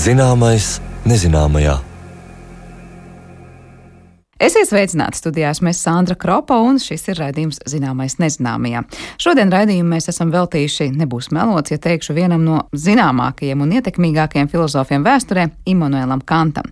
Zināmais nezināmajā. Esiet sveicināti studijās, mēs Sandra Kropa un šis ir raidījums Zināmais nezināmajā. Šodien raidījumu mēs esam veltījuši, nebūs melots, ja teikšu, vienam no zināmākajiem un ietekmīgākajiem filozofiem vēsturē, Imanuēlam Kantam.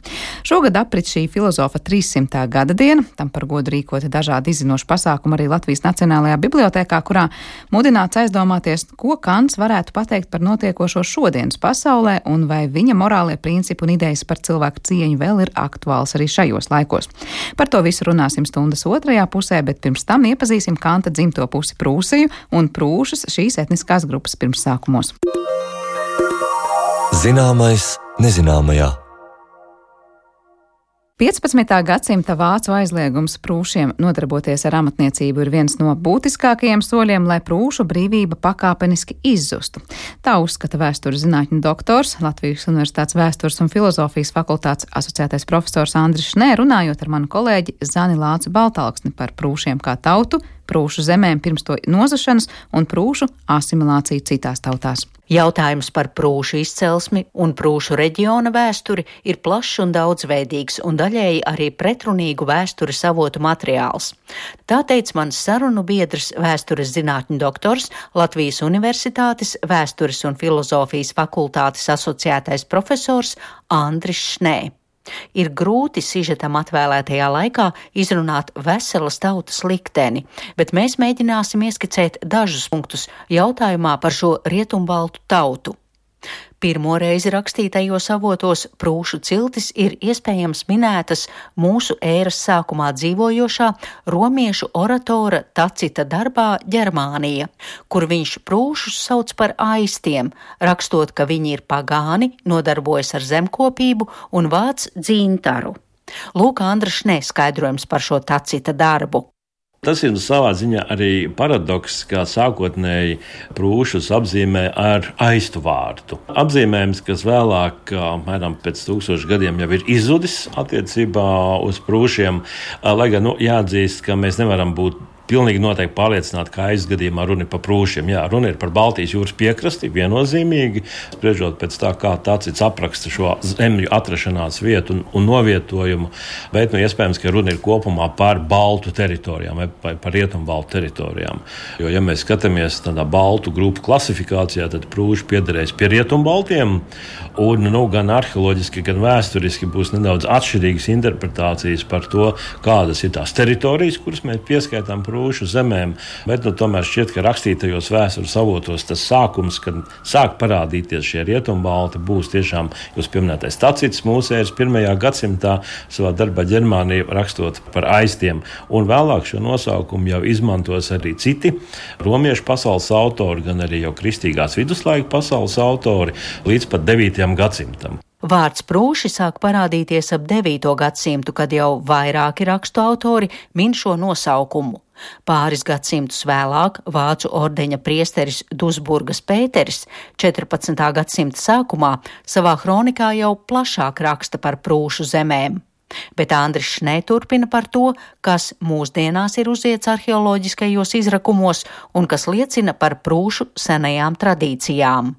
Šogad aprit šī filozofa 300. gada diena, tam par godu rīkoti dažādi izzinoši pasākumi arī Latvijas Nacionālajā bibliotēkā, kurā mudināts aizdomāties, ko Kants varētu pateikt par notiekošo šodienas pasaulē un vai viņa morālie principi un idejas par cilvēku cieņu vēl ir aktuāls arī šajos laikos. Par to visu runāsim stundas otrajā pusē, bet pirms tam iepazīsim Kanta dzimto pusi Prūsiju un prūšus šīs etniskās grupas pirmsākumos. Zināmais nezināmajā. 15. gadsimta vācu aizliegums prūšiem nodarboties ar amatniecību ir viens no būtiskākajiem soļiem, lai prūšu brīvība pakāpeniski izzustu. Tā uzskata vēstures zinātņu doktors, Latvijas Universitātes vēstures un filozofijas fakultātes asociētais profesors Andris Šnē, runājot ar manu kolēģi Zani Lāci Baltalksni par prūšiem kā tautu, prūšu zemēm pirms to nozašanas un prūšu asimilāciju citās tautās. Jautājums par prūšu izcelsmi un prūšu reģiona vēsturi ir plašs un daudzveidīgs un daļēji arī pretrunīgu vēstures avotu materiāls. Tā teica mans sarunu biedrs, vēstures zinātņu doktors, Latvijas Universitātes vēstures un filozofijas fakultātes asociētais profesors Andris Šnē. Ir grūti sižetam atvēlētajā laikā izrunāt veselas tautas likteni, bet mēs mēģināsim ieskicēt dažus punktus jautājumā par šo rietumbaltu tautu. Pirmo reizi rakstītajos avotos prūšu ciltis ir iespējams minētas mūsu ēras sākumā dzīvojošā romiešu oratora Tacita darbā Ģermānija, kur viņš prūšus sauc par aistiem, rakstot, ka viņi ir pagāni, nodarbojas ar zemkopību un vāc dzintaru. Lūk, Andris Šnē skaidrojums par šo Tacita darbu. Tas ir savā ziņā arī paradoks, kā sākotnēji prūšus apzīmē ar aistu vārdu. Apzīmējums, kas vēlāk, apmēram pēc 1000 gadiem, jau ir izzudis attiecībā uz prūšiem, lai gan jāatzīst, ka mēs nevaram būt pilnīgi noteikti pārliecināti, ka aizgadījumā runa ir par prūšiem. Jā, runa ir par Baltijas jūras piekrasti, viennozīmīgi, spriežot pēc tā, kā Tacits apraksta šo zemju atrašanās vietu un novietojumu, bet iespējams, ka runa ir kopumā par baltu teritorijām vai par rietumbaltu teritorijām. Jo, ja mēs skatāmies tādā baltu grupu klasifikācijā, tad prūši piederēs pie rietumbaltiem, un gan arheoloģiski, gan vēsturiski būs nedaudz atšķirīgas interpretācijas par to, kādas ir tās teritorijas, kuras mēs pieskaitām prūšu zemēm, bet tomēr šķiet, ka rakstītajos vēstures avotos tas sākums, kad sāk parādīties šie rietumbalti, būs tiešām jūs pieminētais Tacits mūsu ēras 1. gadsimtā savā darbā Ģermānija rakstot par aistiem, un vēlāk šo nosaukumu jau izmantos arī citi romiešu pasaules autori, gan arī jau kristīgās viduslaika pasaules autori līdz pat 9. gadsimtam. Vārds prūši sāk parādīties ap 9. gadsimtu, kad jau vairāki rakstu autori min šo nosaukumu. Pāris gadsimtus vēlāk vācu ordeņa priesteris Dusburgas Pēteris 14. gadsimta sākumā savā kronikā jau plašāk raksta par prūšu zemēm. Bet Andris Šnē turpina par to, kas mūsdienās ir uziets arheoloģiskajos izrakumos un kas liecina par prūšu senajām tradīcijām.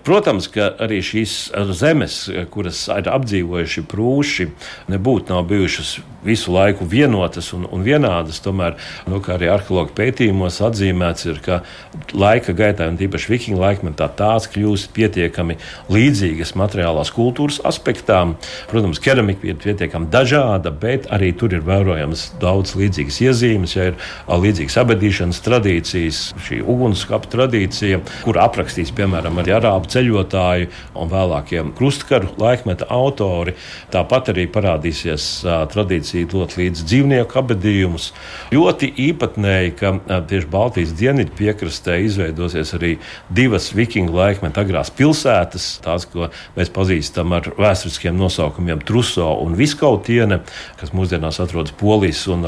Protams, ka arī šīs zemes, kuras ir apdzīvojuši prūši, nebūtu nav bijušas visu laiku vienotas un vienādas. Tomēr, kā arī arheologu pētījumos atzīmēts ir, ka laika gaitā, un tīpaši vikingu laikmetā, tās kļūst pietiekami līdzīgas materiālās kultūras aspektām. Protams, keramika ir pietiekami dažāda, bet arī tur ir vērojams daudz līdzīgas iezīmes, ja ir līdzīgas abedīšanas tradīcijas, šī ugunskapa tradīcija, kur aprakstīs, piemēram, arī arābu ceļotāji un vēlākie krustkaru laikmeta autori. Tāpat arī parādīsies tradīcija dot līdz dzīvnieku abedījumus. Ļoti īpatnēji, ka tieši Baltijas dienvidu piekrastē izveidosies arī divas vikingu laikmeta agrās pilsētas, tās, ko mēs pazīstam ar vēsturiskiem nosaukumiem Truso un Viskautiene, kas mūsdienās atrodas Polijas un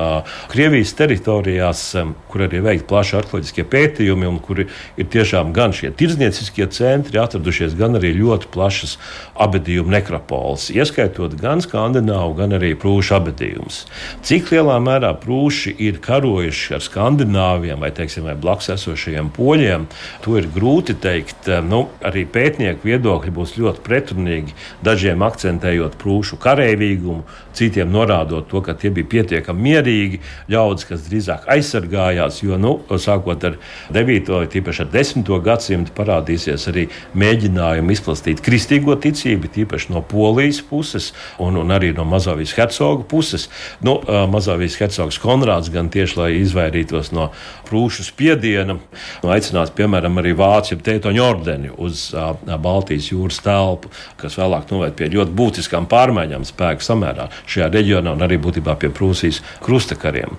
Krievijas teritorijās, kur arī veikt plaši arheoloģiskie pētījumi un kuri ir tiešām gan šie tirdznieciskie centri atradušies, gan arī ļoti plašas abedījumu nekropoles, ieskaitot gan skandināvu, gan arī prūšu abedījumus. skatījums. Cik lielā mērā prūši ir karojuši ar skandināviem vai blakus esošajiem poļiem, to ir grūti teikt. Arī pētnieku viedokļi būs ļoti pretrunīgi, dažiem akcentējot prūšu kareivīgumu, citiem norādot to, ka tie bija pietiekami mierīgi ļaudis, kas drīzāk aizsargājās, jo, sākot ar 9. vai tīpaši ar 10. gadsimtu parādīsies arī mēģinājumi izplastīt kristīgo ticību, tīpaši no Polijas puses un arī no Mazovijas hercoga puses. Mazovijas hercogs Konrāds gan tieši, lai izvairītos no prūšu spiediena, aicinās, piemēram, arī vācu Teutoņu ordeni uz Baltijas jūras telpu, kas vēlāk noved pie ļoti būtiskām pārmaiņām spēku samērā šajā reģionā un arī būtībā pie Prūsijas krustakariem.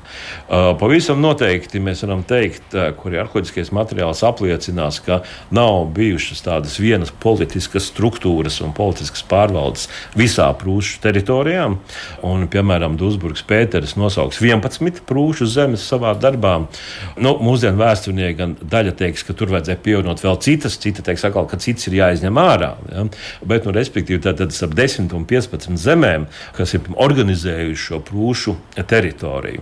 Pavisam noteikti mēs varam teikt, kuri arheoloģiskais materiāls apliecinās, ka nav bijušas tādas vienas politiskas struktūras un politiskas pārvaldes visā prūšu teritorijām. Un, piemēram, Duisburgas Pēteris nosauks 11 prūšu zemes savā darbā. Mūsdienu vēsturnieki gan daļa teiks, ka tur vajadzēja pievienot vēl citas, cita teiks atkal, ka citas ir jāizņem ārā. Ja? Bet, respektīvi, tad ap 10 un 15 zemēm, kas ir organizējuši šo prūšu teritoriju.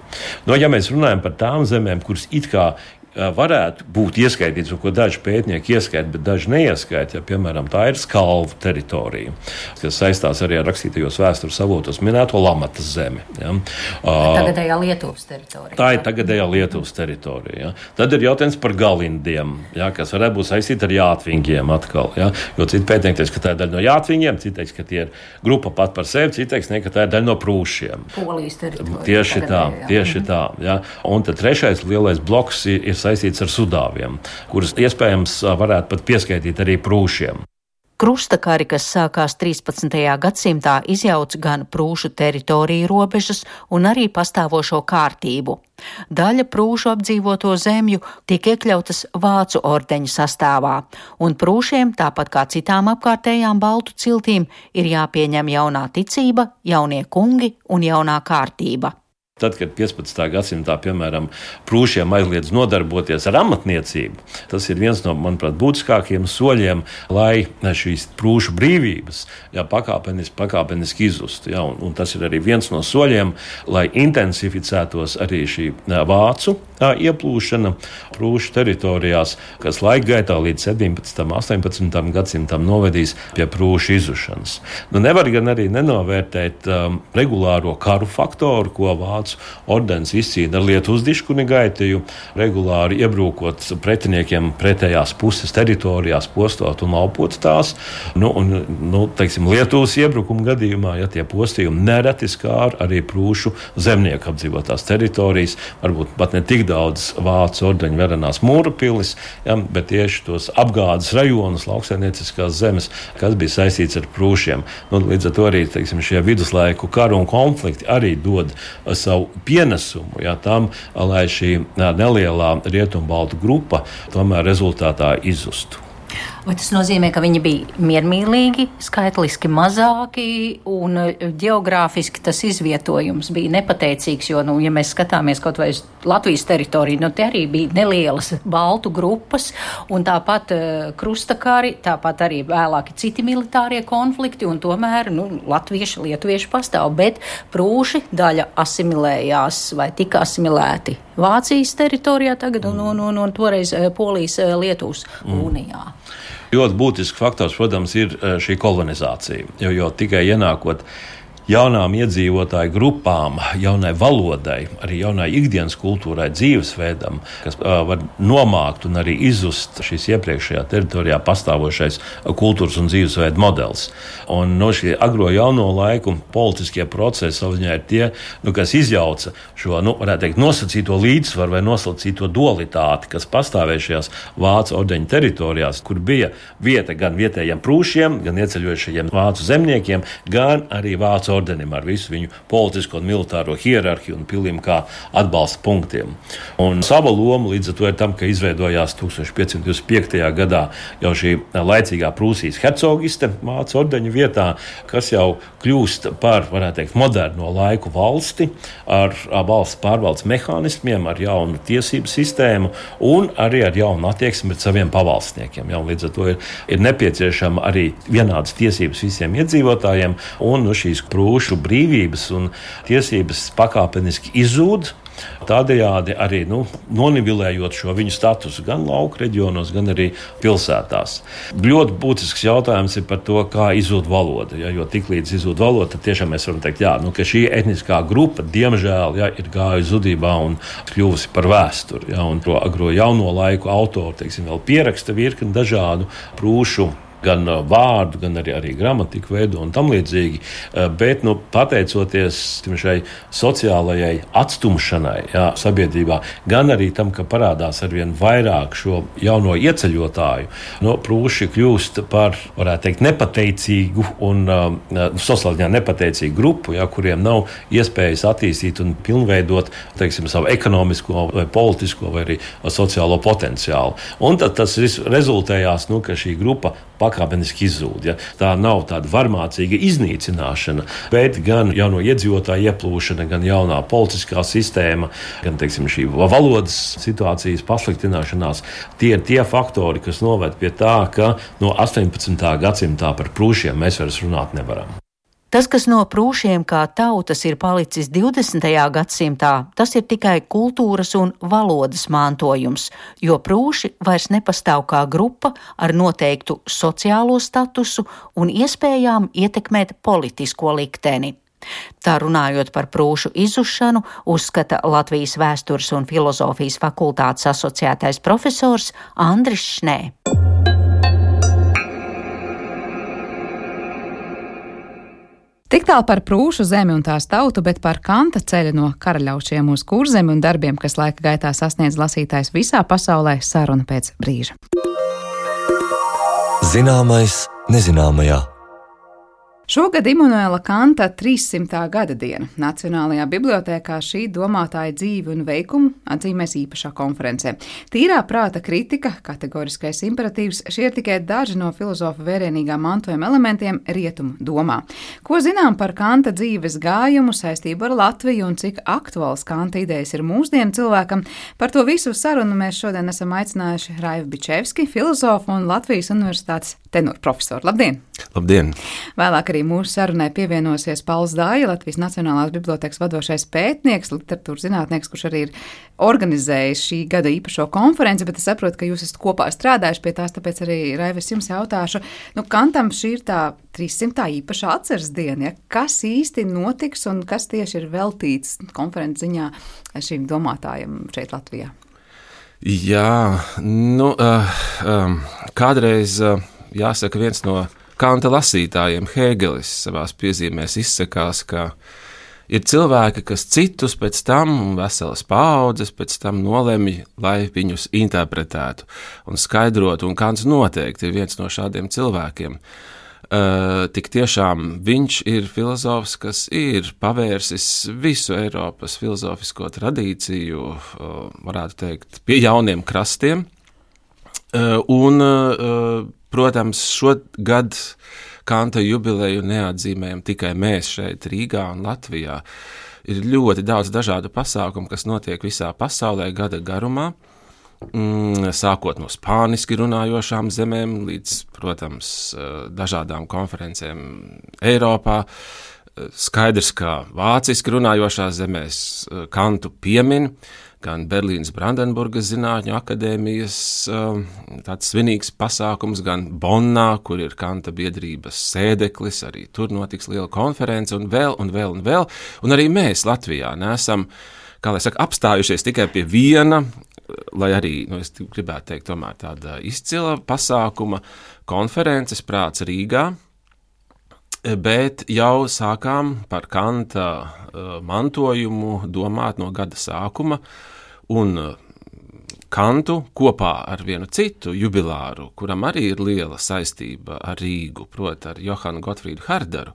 Ja mēs runājam par tām zemēm, kuras it kā varētu būt ieskaitīts, ko daži pētnieki ieskaita, bet daži neieskaita. Piemēram, tā ir Skalvu teritorija, kas saistās arī ar rakstītajos vēstures avotos minēto Lamatas zemi. Ja. Tagadējā Lietuvas teritorija. Tā ir tagadējā Lietuvas teritorija. Ja. Tad ir jautājums par Galindiem, ja, kas varētu būt saistīti ar Jātvingiem atkal. Ja. Jo citi pētnieki teiks, ka tā ir daļa no Jātvingiem, citi teiks, ka tie ir grupa pat par sevi, citi teiks, ka tā ir daļa no prūšiem. Polijas teritorija. Tieši tā. Ja. Un tad trešais lielais bloks ir saistīts ar Sudāviem, kurus iespējams varētu pat pieskaitīt arī prūšiem. Krustakari, kas sākās 13. gadsimtā, izjauca gan prūšu teritoriju robežas un arī pastāvošo kārtību. Daļa prūšu apdzīvoto zemju tiek iekļautas vācu ordeņa sastāvā, un prūšiem, tāpat kā citām apkārtējām baltu ciltīm, ir jāpieņem jaunā ticība, jaunie kungi un jaunā kārtība. Tad, kad 15. gadsimtā, piemēram, prūšiem aizliedz nodarboties ar amatniecību, tas ir viens no, manuprāt, būtiskākajiem soļiem, lai šīs prūšu brīvības pakāpeniski izzustu. Ja, un tas ir arī viens no soļiem, lai intensificētos arī šī vācu ieplūšana prūšu teritorijās, kas laika gaitā līdz 17. un 18. gadsimtam novedīs pie prūšu izzušanas. Nevar gan arī nenovērtēt regulāro karu faktoru, ko vācu ordenis izcīna ar Lietuvas diškuni gaitiju, regulāri iebrūkot pretiniekiem pretējās puses teritorijās, postot un laupot tās. Lietuvas iebrukuma gadījumā, ja tie postījumi nereti skāra arī prūšu zemnieku apdzīvotās teritorijas, varbūt pat ne tik daudz vācu ordeņu verenās mūra pilis, ja, bet tieši tos apgādes rajonus, lauksaimnieciskās zemes, kas bija saistīts ar prūšiem. Līdz ar to arī, šie viduslaiku karu un konflikti arī dod savu pienesumu, ja, tam, lai šī nelielā rietumbaltu grupa tomēr rezultātā izzustu. Vai tas nozīmē, ka viņi bija miermīlīgi, skaitliski mazāki un ģeogrāfiski tas izvietojums bija nepateicīgs, jo, ja mēs skatāmies kaut vai uz Latvijas teritoriju, te arī bija nelielas baltu grupas un tāpat krustakari, tāpat arī vēlāki citi militārie konflikti un tomēr, latvieši, lietuvieši pastāv, bet prūši daļa asimilējās vai tika asimilēti Vācijas teritorijā tagad un toreiz Polijas Lietuvas unijā. Ļoti būtisks faktors, protams, ir šī kolonizācija, jo tikai ienākot jaunām iedzīvotāju grupām, jaunai valodai, arī jaunai ikdienas kultūrai, dzīvesveidam, kas var nomākt un arī izzust šīs iepriekšējā teritorijā pastāvošais kultūras un dzīvesveida modelis. Un no šie agro jauno laiku politiskie procesi savziņā ir tie, kas izjauca šo, varētu teikt, nosacīto līdzsvaru vai nosacīto dualitāti, kas pastāvēja šajās vācu ordeņu teritorijās, kur bija vieta gan vietējiem prūšiem, gan ieceļojušajiem vācu zemniekiem, gan arī vācu ordenim ar visu viņu politisko un militāro hierarhiju un pilniem kā atbalsta punktiem. Un sava loma līdz ar to ir tam, ka izveidojās 1525. gadā jau šī laicīgā Prūsijas hercogiste vācu ordeņu vietā, kas jau kļūst par, varētu teikt, moderno laiku valsti ar valsts pārvaldes mehānismiem, ar jaunu tiesību sistēmu un arī ar jaunu attieksmi pret saviem pavalstniekiem. Ja, līdz ar to ir nepieciešama arī vienādas tiesības visiem iedzīvotājiem un šīs prūšu prūšu brīvības un tiesības pakāpeniski izzūd. Tādējādi arī nonivilējot šo viņu statusu gan lauku reģionos, gan arī pilsētās. Ļoti būtisks jautājums ir par to, kā izzūd valoda. Ja, jo tiklīdz izzūd valoda, tad tiešām mēs varam teikt, ka šī etniskā grupa, diemžēl, ir gājusi zudībā un kļuvusi par vēsturi. Ja, un agro jauno laiku autori, vēl pieraksta virkni dažādu prūšu gan vārdu, gan arī gramatiku veidu un tam līdzīgi, bet pateicoties šai sociālajai atstumšanai sabiedrībā, gan arī tam, ka parādās arvien vairāk šo jauno ieceļotāju, prūši kļūst par, varētu teikt, nepateicīgu un sociālajā nepateicīgu grupu, kuriem nav iespējas attīstīt un pilnveidot, savu ekonomisko vai politisko vai arī sociālo potenciālu. Un tad tas rezultējās, ka šī grupa pakāpeniski izzūd. Ja? Tā nav tāda varmācīga iznīcināšana, bet gan jauno iedzīvotāju ieplūšana, gan jaunā politiskā sistēma, gan šī valodas situācijas pasliktināšanās. Tie ir tie faktori, kas noved pie tā, ka no 18. gadsimtā par prūšiem mēs vairs runāt nevaram. Tas, kas no prūšiem kā tautas ir palicis 20. gadsimtā, tas ir tikai kultūras un valodas mantojums, jo prūši vairs nepastāv kā grupa ar noteiktu sociālo statusu un iespējām ietekmēt politisko likteni. Tā runājot par prūšu izzušanu, uzskata Latvijas vēstures un filozofijas fakultātes asociētais profesors Andris Šnē. Tik tālu par prūšu zemi un tās tautu, bet par Kanta ceļa no karaļaušiem uz Kurzemi un darbiem, kas laika gaitā sasniedz lasītājs visā pasaulē, saruna pēc brīža. Zināmais nezināmajā. Šogad Imanuela Kanta 300. gada diena. Nacionālajā bibliotēkā šī domātāja dzīvi un veikumu atzīmēs īpašā konferencē. Tīrā prāta kritika, kategoriskais imperatīvs, šie ir tikai daži no filozofa vērienīgā mantojuma elementiem rietumu domā. Ko zinām par Kanta dzīves gājumu, saistību ar Latviju un cik aktuāls Kanta idejas ir mūsdienu cilvēkam? Par to visu sarunu mēs šodien esam aicinājuši Raivu Bičevski, filozofu un Latvijas universitātes tenorprofesoru. Labdien! Labdien! Vēlāk arī mūsu sarunai pievienosies Pauls Dāja, Latvijas Nacionālās bibliotēkas vadošais pētnieks, literatūras zinātnieks, kurš arī ir organizējis šī gada īpašo konferenci, bet es saprotu, ka jūs esat kopā strādājuši pie tās, tāpēc arī, Raivis, jums jautāšu, Kantam šī ir tā 300. īpašā atceres diena, ja? Kas īsti notiks un kas tieši ir veltīts konferences ziņā šīm domātājiem šeit Latvijā? Jā, kādreiz, jāsaka, viens no Kanta lasītājiem, Hēgelis, savās piezīmēs izsakās, ka ir cilvēki, kas citus pēc tam, veselas paaudzes pēc tam nolemj, lai viņus interpretētu un skaidrotu, un Kants noteikti ir viens no šādiem cilvēkiem. Tik tiešām viņš ir filozofs, kas ir pavērsis visu Eiropas filozofisko tradīciju, varētu teikt, pie jauniem krastiem, un protams, šogad Kanta jubileju neatzīmējam tikai mēs šeit Rīgā un Latvijā. Ir ļoti daudz dažādu pasākumu, kas notiek visā pasaulē gada garumā, sākot no spāniski runājošām zemēm līdz, protams, dažādām konferencēm Eiropā. Skaidrs, ka vāciski runājošās zemēs Kantu piemin, gan Berlīnas Brandenburgas zinātņu akadēmijas tāds svinīgs pasākums, gan Bonnā, kur ir Kanta biedrības sēdeklis, arī tur notiks liela konference, un vēl. Un arī mēs Latvijā neesam, kā lai saka, apstājušies tikai pie viena, lai arī, es gribētu teikt, tomēr tāda izcila pasākuma konferences Prāts Rīgā, bet jau sākām par Kanta mantojumu domāt no gada sākuma, un Kantu kopā ar vienu citu jubilāru, kuram arī ir liela saistība ar Rīgu, proti ar Johanu Gotfrīdu Harderu.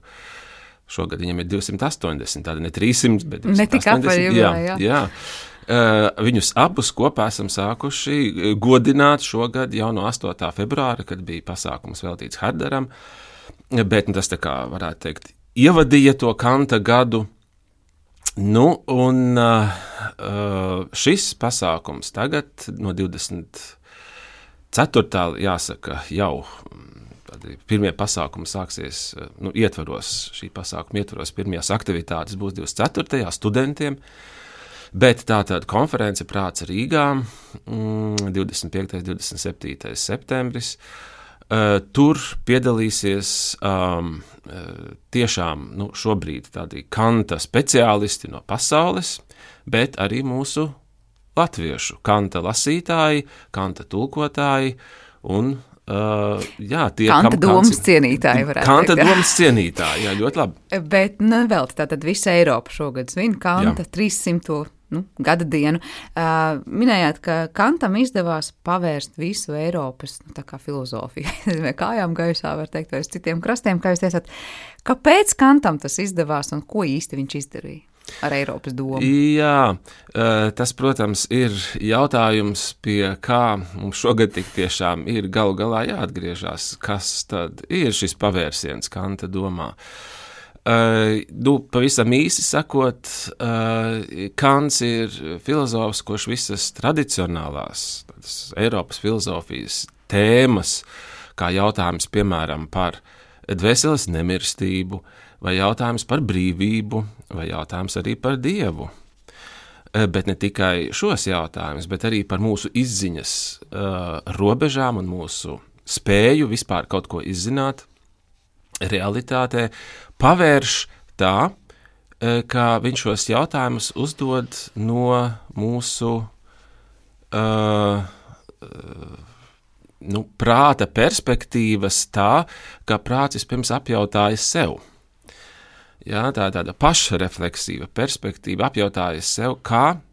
Šogad viņam ir 280, tāda ne 300, bet 280. Ne tik apaļ, jā. Viņus abus kopā esam sākuši godināt šogad jau no 8. februāra, kad bija pasākums veltīts Harderam, bet tas tā kā varētu teikt ievadīja to Kanta gadu. Un šis pasākums tagad no 24. jāsaka jau tādi pirmie pasākumi sāksies, šī pasākuma ietvaros pirmajās aktivitātes būs 24. studentiem, bet tātad konference Prāts Rīgā 25. 27. septembris. Tur piedalīsies tiešām šobrīd tādi Kanta speciālisti no pasaules, bet arī mūsu latviešu Kanta lasītāji, Kanta tulkotāji un tie Kanta domas cienītāji varētu Kanta teikt. domas cienītāji, jā, ļoti labi. Bet vēl tātad visa Eiropa šogad svin Kanta 300. Gada dienu. Minējāt, ka Kantam izdevās pavērst visu Eiropas tā kā filozofiju. Kājām gaisā, var teikt, vai uz citiem krastiem, kā jūs teicāt. Kāpēc Kantam tas izdevās un ko īsti viņš izdarīja ar Eiropas domu? Jā, tas, protams, ir jautājums, pie kā mums šogad tik tiešām ir galu galā jāatgriežas, kas tad ir šis pavērsiens Kanta domā. Pavisam īsi sakot, Kants ir filozofs, kurš visas tradicionālās Eiropas filozofijas tēmas, kā jautājums, piemēram, par dvēseles nemirstību, vai jautājums par brīvību, vai jautājums arī par Dievu. Bet ne tikai šos jautājumus, bet arī par mūsu izziņas robežām un mūsu spēju vispār kaut ko izzināt realitātē, pavērš tā, ka viņš šos jautājumus uzdod no mūsu prāta perspektīvas tā, ka prāts vispirms apjautājas sev. Jā, tā ir tāda pašrefleksīva perspektīva, apjautājas sev, kā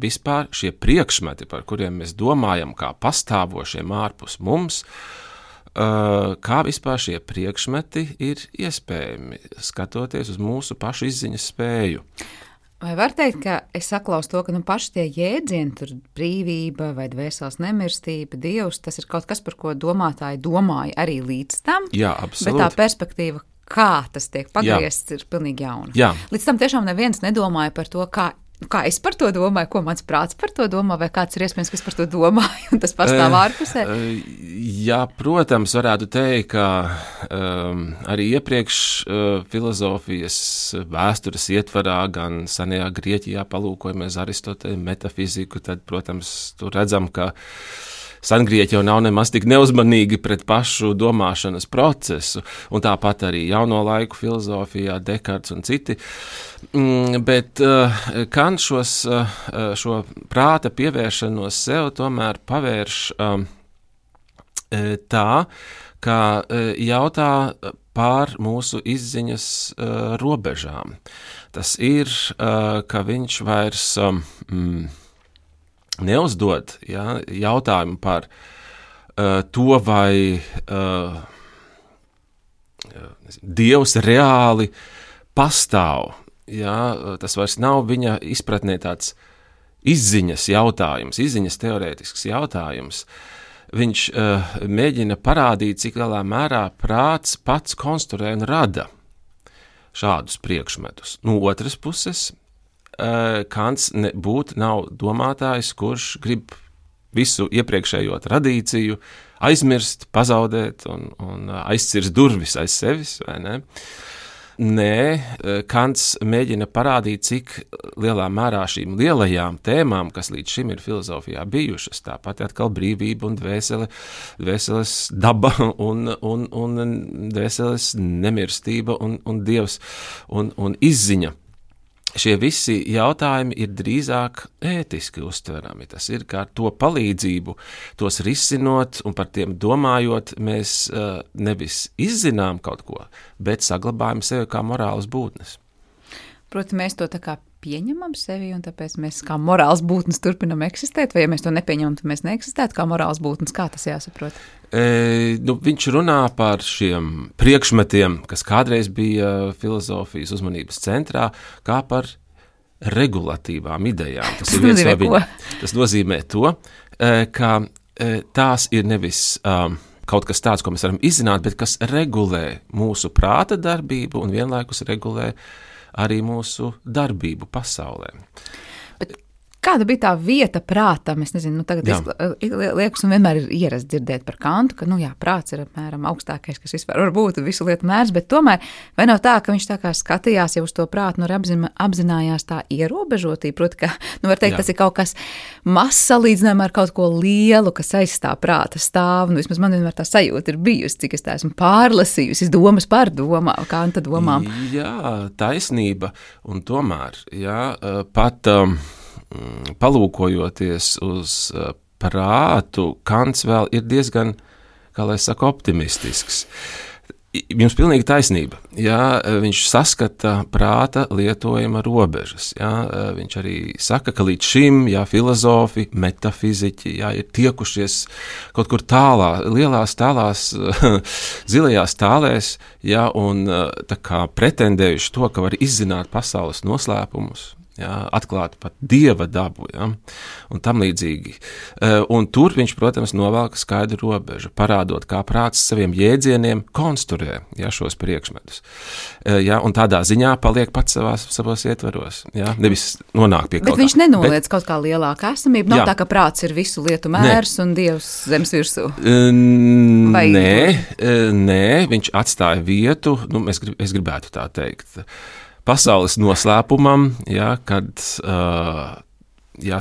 vispār šie priekšmeti, par kuriem mēs domājam, kā pastāvošiem ārpus mums, kā vispār šie priekšmeti ir iespējami, skatoties uz mūsu pašu izziņas spēju. Vai var teikt, ka es saklausu to, ka paši tie jēdzieni, tur brīvība vai dvēseles nemirstība, Dievs, tas ir kaut kas, par ko domātāji domāja arī līdz tam? Jā, absolūti. Bet tā perspektīva, kā tas tiek pagriezts, ir pilnīgi jauna. Jā. Līdz tam tiešām neviens nedomāja par to, kā es par to domāju, ko mans prāts par to domā, vai kāds ir iespējams, kas par to domāju, un tas pastāv ārpusē? Jā, protams, varētu teikt, ka arī iepriekš filozofijas vēstures ietvarā, gan senajā Grieķijā palūkojamies Aristoteļa metafiziku, tad, protams, tur redzam, ka Sengrieķi jau nav nemaz tik neuzmanīgi pret pašu domāšanas procesu, un tāpat arī jauno laiku filozofijā, Dekarts un citi. Bet Kants šo prāta pievēršanos sev tomēr pavērš tā, ka jautā par mūsu izziņas robežām. Tas ir, ka viņš vairs neuzdod jautājumu par to, vai Dievs reāli pastāv. Tas vairs nav viņa izpratnē tāds izziņas jautājums, izziņas teorētisks jautājums. Viņš mēģina parādīt, cik lielā mērā prāts pats konstruē un rada šādus priekšmetus. No otras puses, Kants nav domātājs, kurš grib visu iepriekšējo tradīciju aizmirst, pazaudēt un aizcirst durvis aiz sevis, vai ne? Nē, Kants mēģina parādīt, cik lielā mērā šīm lielajām tēmām, kas līdz šim ir filozofijā bijušas, tāpat atkal brīvība un dvēseles daba un dvēseles nemirstība un Dievs un izziņa. Šie visi jautājumi ir drīzāk ētiski uztverami. Tas ir, kā ar to palīdzību, tos risinot un par tiem domājot, mēs nevis izzinām kaut ko, bet saglabājam sevi kā morālas būtnes. Proti, mēs to tā kā pieņemam sevi, un tāpēc mēs kā morāls būtnes turpinam eksistēt, vai ja mēs to nepieņemam, tad mēs neeksistētu kā morāls būtnes. Kā tas jāsaprot? Viņš runā par šiem priekšmetiem, kas kādreiz bija filozofijas uzmanības centrā, kā par regulatīvām idejām. Tas nozīmē to, ka tās ir nevis kaut kas tāds, ko mēs varam izzināt, bet kas regulē mūsu prāta darbību un vienlaikus regulē arī mūsu darbību pasaulē. Kāda bija tā vieta prātam? Es nezinu, tagad liekas, un vienmēr ir ierasts dzirdēt par Kantu, ka, prāts ir apmēram augstākais, kas vispār var būt visu lietu mērs, bet tomēr vai nav tā, ka viņš tā kā skatījās jau uz to prātu, apzinājās tā ierobežotību, proti, ka, var teikt, tas ir kaut kas mazs salīdzinājumā ar kaut ko lielu, kas aizstāv prāta stāvu. Vismaz man vienmēr tā sajūta ir bijusi, cik es tā esmu pārlasījusi, domas par domām, Kanta domām. Jā, taisnība, un tomēr, pat palūkojoties uz prātu, Kants vēl ir diezgan, kā lai saka, optimistisks. Jums pilnīgi taisnība. Viņš saskata prāta lietojuma robežas. Viņš arī saka, ka līdz šim filozofi, metafiziķi ir tiekušies kaut kur lielās tālās, zilajās tālēs, un tā kā pretendējuši to, ka var izzināt pasaules noslēpumus. Atklāt pat dieva dabu, un tam līdzīgi. Un tur viņš, protams, novelk skaidru robežu, parādot, kā prāts saviem jēdzieniem konstruē šos priekšmetus. Un tādā ziņā paliek pats savos ietvaros. Nevis nonāk pie kaut kā. Bet viņš nenoliedz kaut kā lielāka esamība. Nav tā, ka prāts ir visu lietu mērs un dievs zemes virsū. Nē, viņš atstāja vietu, es gribētu tā teikt, pasaules noslēpumam, kad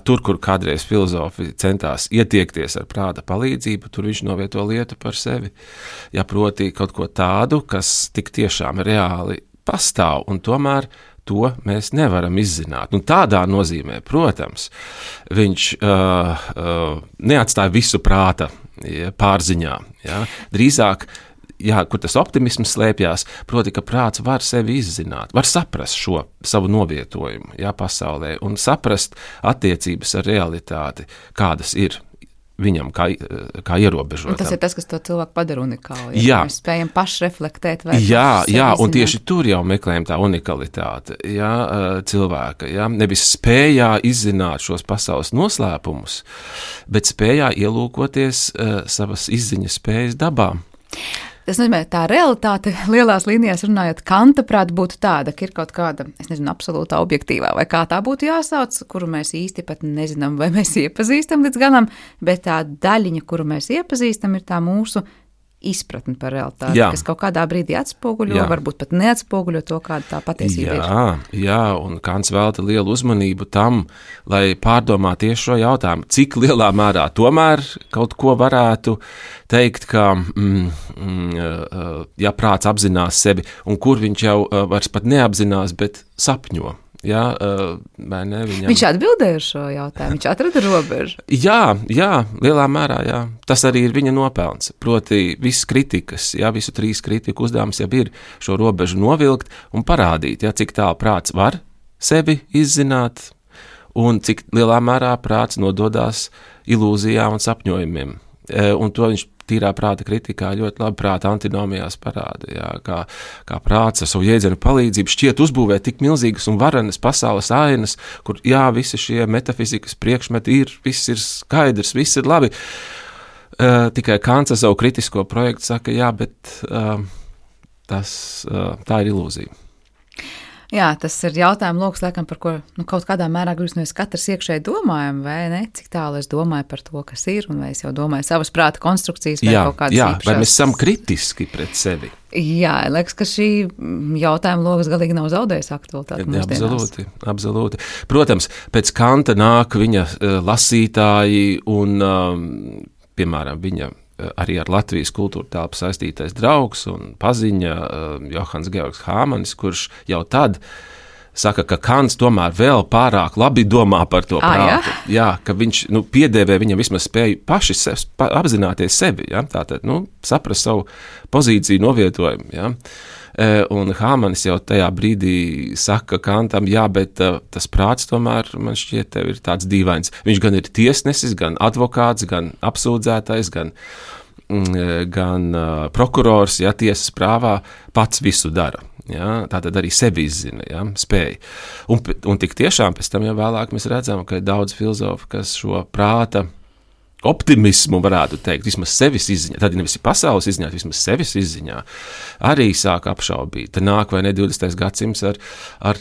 tur, kur kādreiz filozofi centās ietiekties ar prāta palīdzību, tur viņš novieto lietu par sevi. Proti kaut ko tādu, kas tik tiešām reāli pastāv, un tomēr to mēs nevaram izzināt. Tādā nozīmē, protams, viņš neatstāja visu prāta pārziņā. Drīzāk, kur tas optimisms slēpjās, proti, ka prāts var sevi izzināt, var saprast šo savu novietojumu pasaulē un saprast attiecības ar realitāti, kādas ir viņam kā ierobežotam. Un tas ir tas, kas to cilvēku padara unikālu. Mēs spējam pašreflektēt. Un tieši tur jau meklējam tā unikalitāte cilvēka. Nevis spējā izzināt šos pasaules noslēpumus, bet spējā ielūkoties savas izziņas spējas dabā. Tas nozīmē, tā realitāte lielās līnijās runājot, Kanta prāt būtu tāda, ka ir kaut kāda, absolūtā objektīvā, vai kā tā būtu jāsauc, kuru mēs īsti pat nezinām, vai mēs iepazīstam līdz galam, bet tā daļiņa, kuru mēs iepazīstam, ir tā mūsu izpratni par realitāti, kas kaut kādā brīdī atspoguļo, varbūt pat neatspoguļo to, kāda tā patiesība ir. Un Kants velta lielu uzmanību tam, lai pārdomā tieši šo jautājumu, cik lielā mērā tomēr kaut ko varētu teikt, ka prāts apzinās sevi, un kur viņš jau vairs pat neapzinās, bet sapņo. Viņš atbildēja uz šo jautājumu, viņš atrada robežu. Lielā mērā, tas arī ir viņa nopelns. Proti, visas kritikas, visu trīs kritiku uzdevums jau ir šo robežu novilkt un parādīt, cik tālu prāts var sevi izzināt un cik lielā mērā prāts nododās ilūzijām un sapņojumiem. Un to viņš tīrā prāta kritikā ļoti labi prāta antinomijās parāda, kā prāts ar savu jēdzienu palīdzību šķiet uzbūvēt tik milzīgas un varenas pasaules ainas, kur visi šie metafizikas priekšmeti viss ir skaidrs, viss ir labi. Tikai Kants ar savu kritisko projektu saka, bet tā ir ilūzija. Tas ir jautājums, loks, laikam, par ko kaut kādā mērā gribas katrs iekšēji domājam, vai ne? Cik tālu es domāju par to, kas ir, un vai es jau domāju savas prāta konstrukcijas vai kaut kādas īpašās. Vai mēs esam kritiski pret sevi? Liekas, ka šī jautājuma logas galīgi nav zaudējis aktualitāti mūsdienās. Absolūti. Protams, pēc Kanta nāk viņa lasītāji un, piemēram, viņa arī ar Latvijas kultūra telpu saistītais draugs un paziņa Johans Georgs Hāmanis, kurš jau tad saka, ka Kants tomēr vēl pārāk labi domā par to prātu. Ka viņš piedēvē viņam vismaz spēju paši apzināties sevi, tātad saprast savu pozīciju novietojumu. Un Hāmanis jau tajā brīdī saka Kantam, bet tas prāts tomēr, man šķiet, tev ir tāds dīvains. Viņš gan ir tiesnesis, gan advokāts, gan apsūdzētais, gan prokurors, tiesas prāvā, pats visu dara. Tātad arī sevi izzina, spēja. Un tik tiešām pēc tam jau vēlāk mēs redzam, ka ir daudz filozofu, kas šo prāta optimismu, varētu teikt, vismaz sevis izziņā, tad nevis pasaules izziņā, vismaz sevis izziņā, arī sāk apšaubīt. Te nāk vai ne 20. gadsimts ar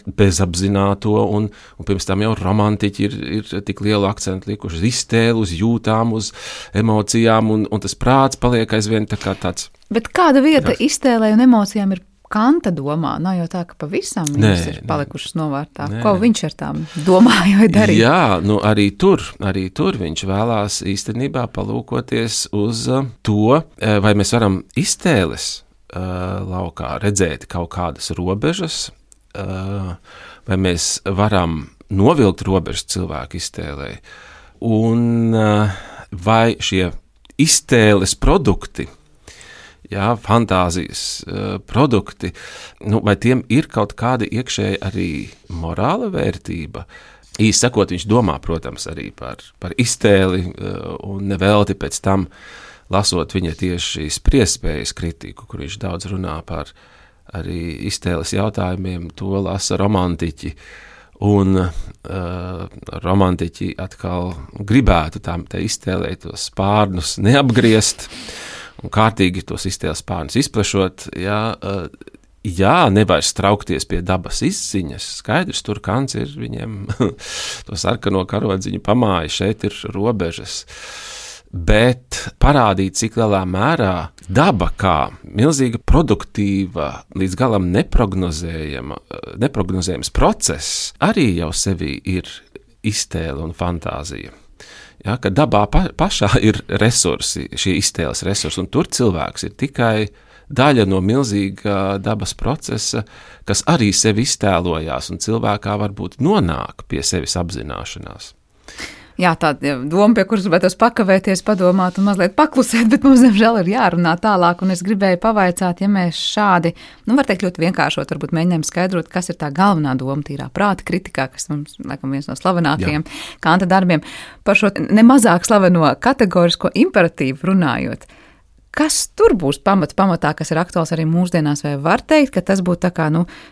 bezapzināto, un pirms tam jau romantiķi ir tik lielu akcentu likuši uz iztēli, uz jūtām, uz emocijām, un tas prāts paliek aizvien tā kā tāds. Bet kāda vieta iztēlē un emocijām ir Kanta domā? Nav jau tā, ka pavisam viņas ir palikušas novārtā. Ko viņš ar tām domāja darīt? Jā, arī tur viņš vēlās īstenībā palūkoties uz to, vai mēs varam iztēles laukā redzēt kaut kādas robežas, vai mēs varam novilkt robežas cilvēku iztēlē, un vai šie iztēles produkti, fantāzijas produkti, vai tiem ir kaut kāda iekšēja arī morāla vērtība. Īsti sakot, viņš domā, protams, arī par iztēli, un nevelti pēc tam, lasot viņa tieši spriestspējas kritiku, kur viņš daudz runā par arī iztēles jautājumiem, to lasa romantiķi. Un romantiķi atkal gribētu te iztēlēt tos spārnus neapgriezt, un kārtīgi tos iztēles spārnus izplešot, nevairs traukties pie dabas izziņas. Skaidrs, tur Kants ir viņiem to sarkano karodziņu pamāja, šeit ir robežas. Bet parādīt, cik lielā mērā daba kā milzīga produktīva, līdz galam neprognozējams process, arī jau sevī ir iztēle un fantāzija. Ka dabā pašā ir resursi, šie iztēles resursi, un tur cilvēks ir tikai daļa no milzīga dabas procesa, kas arī sevi iztēlojās, un cilvēkā varbūt nonāk pie sevis apzināšanās. Jā, tāda doma, pie kuras gribētos pakavēties, padomāt un mazliet paklusēt, bet mums, diemžēl, ir jārunā tālāk, un es gribēju pavaicāt, ja mēs šādi, var teikt ļoti vienkāršot, varbūt mēģinām skaidrot, kas ir tā galvenā doma tīrā prāta kritikā, kas mums, laikam, viens no slavenākajiem Kanta darbiem, par šo nemazāk slaveno kategorisko imperatīvu runājot. Kas tur būs pamatā, kas ir aktuāls arī mūsdienās, vai var teikt, ka tas būtu tā kā,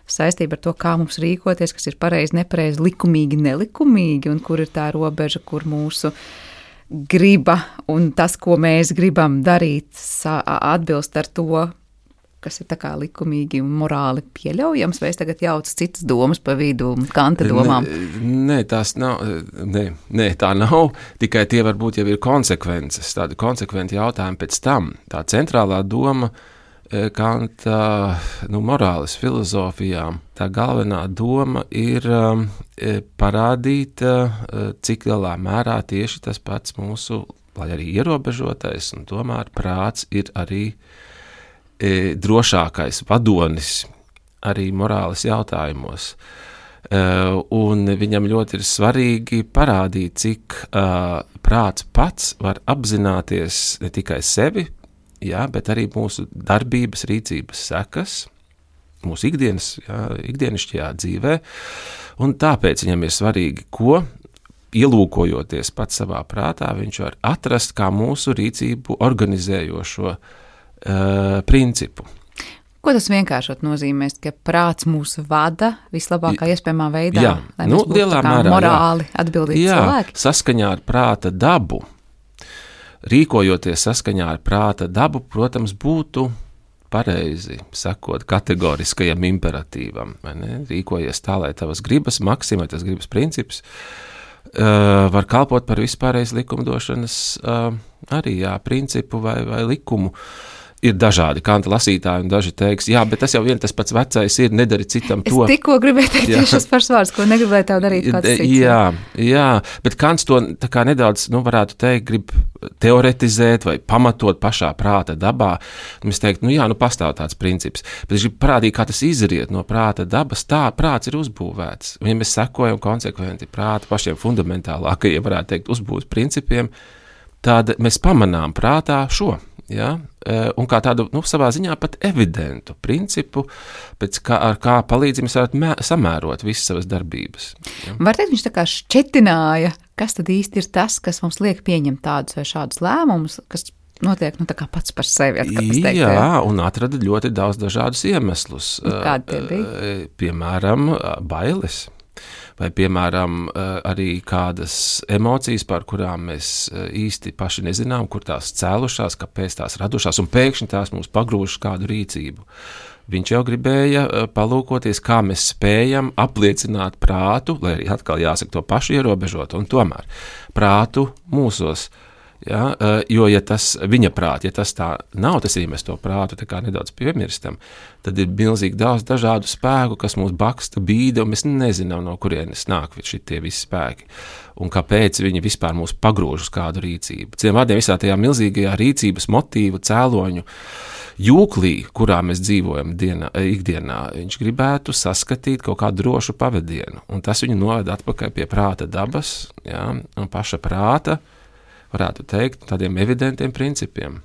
saistība ar to, kā mums rīkoties, kas ir pareizi, nepareizi, likumīgi, nelikumīgi, un kur ir tā robeža, kur mūsu griba un tas, ko mēs gribam darīt, atbilst ar to, kas ir tā kā likumīgi un morāli pieļaujams, vai es tagad jaucu citas domas pa vidu Kanta domām? Nē, tā nav, tikai tie varbūt jau ir konsekvences, tādi konsekventi jautājumi pēc tam. Tā centrālā doma Kanta, morāles filozofijā, tā galvenā doma ir parādīt, cik lielā mērā tieši tas pats mūsu, lai arī ierobežotais, un tomēr prāts ir arī drošākais vadonis arī morāles jautājumos. Un viņam ļoti ir svarīgi parādīt, cik prāts pats var apzināties ne tikai sevi, bet arī mūsu darbības, rīcības sekas, mūsu ikdienišķajā dzīvē. Un tāpēc viņam ir svarīgi, ko ielūkojoties pats savā prātā, viņš var atrast kā mūsu rīcību organizējošo principu. Ko tas vienkāršot nozīmēs, ka prāts mūs vada vislabākā iespējamā veidā, lai mēs būtu tā kā morāli atbildīgi cilvēki? Jā, saskaņā ar prāta dabu, rīkojoties saskaņā ar prāta dabu, protams, būtu pareizi sakot kategoriskajam imperatīvam, vai ne? Rīkojies tā, lai tavas gribas maksima, tas gribas princips, var kalpot par vispārreiz likumdošanas arī principu vai likumu. Ir dažādi Kanta lasītāji, un daži teiks, bet tas jau tas pats vecais ir, nedari citam to. Es tikko gribēju teikt tieši šis pašvārds, ko negribēju tev darīt kāds cits. Jā, bet Kants to tā kā nedaudz, varētu teikt, grib teoretizēt vai pamatot pašā prāta dabā. Mēs teikt, pastāv tāds princips, bet es gribu parādīt, kā tas izriet no prāta dabas, tā prāts ir uzbūvēts. Un ja mēs sekojam konsekventi prāta pašiem fundamentālākajiem, varētu teikt, uzbūves principiem, tad mēs pamanām prātā šo. Un kā tādu, savā ziņā pat evidentu principu, ar kā palīdzību mēs varētu samērot visas savas darbības. Var teikt, viņš tā kā šķetināja, kas tad īsti ir tas, kas mums liek pieņemt tādus vai šādus lēmumus, kas notiek tā kā pats par sevi. Un atrada ļoti daudz dažādus iemeslus. Kādi tie bija? Piemēram, bailes. vai, piemēram, arī kādas emocijas, par kurām mēs īsti paši nezinām, kur tās cēlušās, kāpēc tās radušās, un pēkšņi tās mums pagrūžas kādu rīcību. Viņš jau gribēja palūkoties, kā mēs spējam apliecināt prātu, lai arī atkal jāsaka to pašu ierobežot, un tomēr prātu mūsos. Ja, jo, ja tas viņa prāt, ja tas tā nav, tas arī mēs to prātu tā kā nedaudz piemirstam, tad ir milzīgi daudz dažādu spēku, kas mūs baksta, bīda, un mēs nezinām, no kurienes nāk šitie visi spēki, un kāpēc viņi vispār mūs pagrūž uz kādu rīcību. Citiem vārdiem, visā tajā milzīgajā rīcības motīvu cēloņu jūklī, kurā mēs dzīvojam ikdienā, viņš gribētu saskatīt kaut kādu drošu pavadienu, un tas viņu noved atpakaļ pie prāta dabas, ja, un paša prāta, varētu teikt, tādiem evidentiem principiem.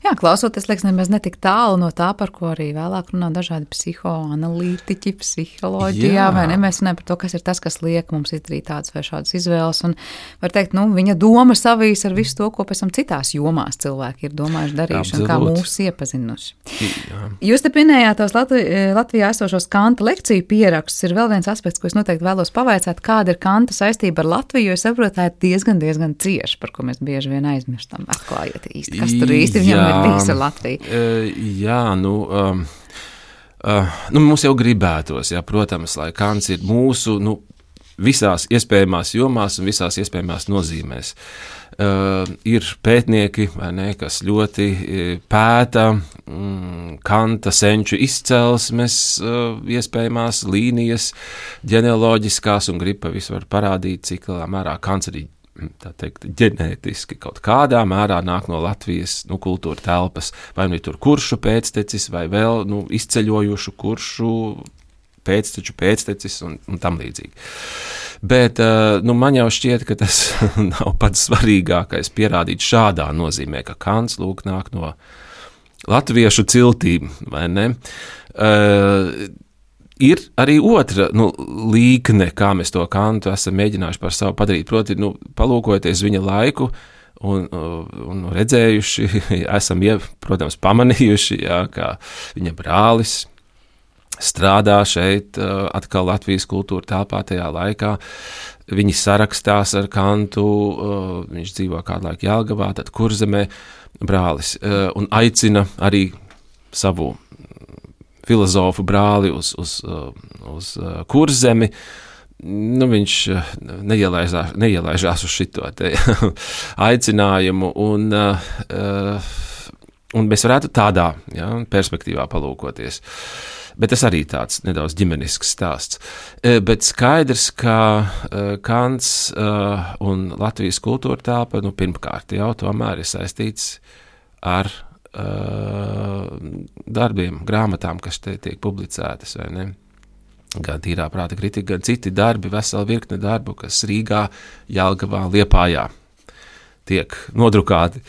Jā, klausoties, liekas, nemaz netik tālu no tā, par ko arī vēlāk runā dažādi psihoanalītiķi, psiholoģijā, vai ne? Mēs runājam par to, kas ir tas, kas liek mums izdarīt tādas vai šādas izvēles, un var teikt, viņa doma savīs ar visu to, ko pēc tam citās jomās cilvēki ir domājuši, darījuši, un kā mūs iepazinuši. Jā. Jūs te pinējāt tos Latvijā esošos Kanta lekciju pierakstus, ir vēl viens aspekts, ko es noteikti vēlos pavaicāt, kāda ir Kanta saistība ar Latviju, jo es saprotu, tā ir diezgan cieši, par ko mēs bieži vien aizmirstam, atklājiet īsti, kas tur īsti viņam ir bijis ar Latviju. Jā, mums jau gribētos, jā, protams, lai Kants ir mūsu, visās iespējamās jomās un visās iespējamās nozīmēs. Ir pētnieki, vai ne, kas ļoti pēta Kanta senču izcelsmes, iespējamās līnijas, ģenealoģiskās, un grib visu parādīt, cik lielā mērā Kants arī tā teikt, ģenētiski kaut kādā mērā nāk no Latvijas kultūra telpas, vai tur kuršu pēctecis, vai vēl izceļojušu kuršu pēctecis un tam līdzīgi. Bet man jau šķiet, ka tas nav pats svarīgākais pierādīt šādā nozīmē, ka Kants lūk nāk no latviešu ciltīm, vai ne? Ir arī otra līkne, kā mēs to Kantu esam mēģinājuši par savu padarīt, proti, palūkojoties viņa laiku un redzējuši, esam, protams, pamanījuši, jā, kā viņa brālis strādā šeit atkal Latvijas kultūra telpā tajā laikā. Viņi sarakstās ar Kantu, viņš dzīvo kādu laiku Jelgavā, tad Kurzemē brālis, un aicina arī savu filozofu brāli uz Kurzemi. Viņš neielaižās uz šito te aicinājumu, un mēs varētu tādā perspektīvā palūkoties. Bet tas arī tāds nedaudz ģimenisks stāsts. Bet skaidrs, ka Kants un Latvijas kultūra telpa, pirmkārt jau tomēr ir saistīts ar darbiem, grāmatām, kas te tiek publicētas, vai ne? Gan tīrā prāta kritika, gan citi darbi, vesela virkne darbu, kas Rīgā, Jelgavā, Liepājā tiek nodrukāti.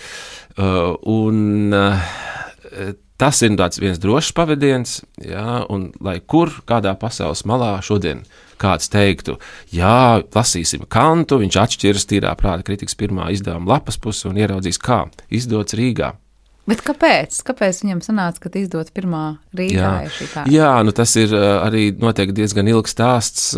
Tas ir viens drošs pavadiens, jā, un lai kur, kādā pasaules malā šodien kāds teiktu, jā, lasīsim Kantu, viņš atšķiras tīrā prāta kritikas pirmā izdevuma lapas pusi un ieraudzīs, kā izdots Rīgā. Bet kāpēc? Kāpēc viņam sanāca, ka izdot pirmā Rīgā ir šī tā? Jā, tas ir arī noteikti diezgan ilgs stāsts,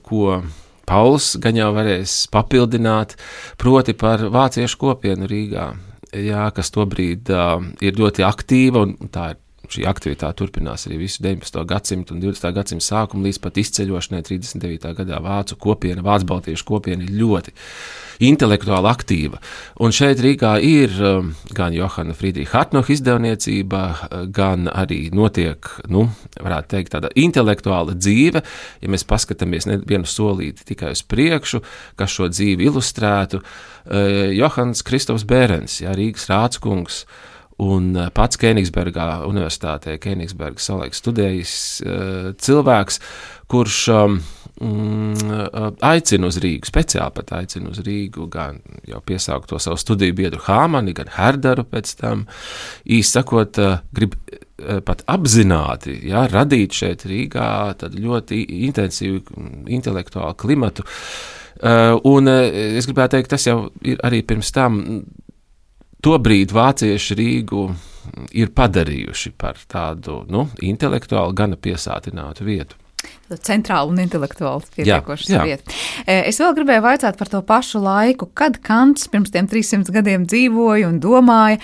ko Pauls gan jau varēs papildināt, proti par vāciešu kopienu Rīgā, jā, kas tobrīd ir ļoti aktīva, un tā ir šī aktivitāte turpinās arī visu 19. gadsimtu un 20. gadsimtu sākumu līdz pat izceļošanai 39. gadā vācu kopiena, vācu baltiešu kopiena ir ļoti intelektuāli aktīva. Un šeit Rīgā ir gan Johana Friedricha Hartnoga izdevniecība, gan arī notiek, varētu teikt, tāda intelektuāla dzīve, ja mēs paskatāmies vienu solīti tikai uz priekšu, kas šo dzīvi ilustrētu. Johans Kristofs Bērens, Rīgas rādskungs, un pats Kēnigsbergā universitātē, Kēnigsberga savulaik studējis cilvēks, kurš aicina uz Rīgu, speciāli pat aicina uz Rīgu, gan jau piesaukt to savu studiju biedru Hāmani, gan Herdaru pēc tam, īsti sakot, grib pat apzināti, radīt šeit Rīgā tad ļoti intensīvu intelektuālu klimatu. Un es gribētu teikt, tas jau ir arī pirms tam. Tobrīd vācieši Rīgu ir padarījuši par tādu intelektuāli gana piesātinātu vietu. centrāli un intelektuāli pietiekošas vieta. Es vēl gribēju vaicāt par to pašu laiku, kad Kants pirms tiem 300 gadiem dzīvoja un domāja,